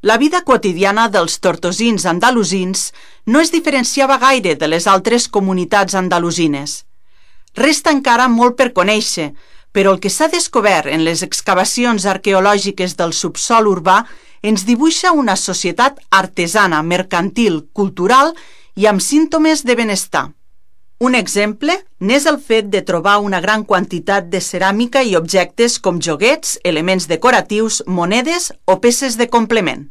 La vida quotidiana dels tortosins andalusins no es diferenciava gaire de les altres comunitats andalusines. Resta encara molt per conèixer, però el que s'ha descobert en les excavacions arqueològiques del subsòl urbà ens dibuixa una societat artesana, mercantil, cultural i amb símptomes de benestar. Un exemple n'és el fet de trobar una gran quantitat de ceràmica i objectes com joguets, elements decoratius, monedes o peces de complement.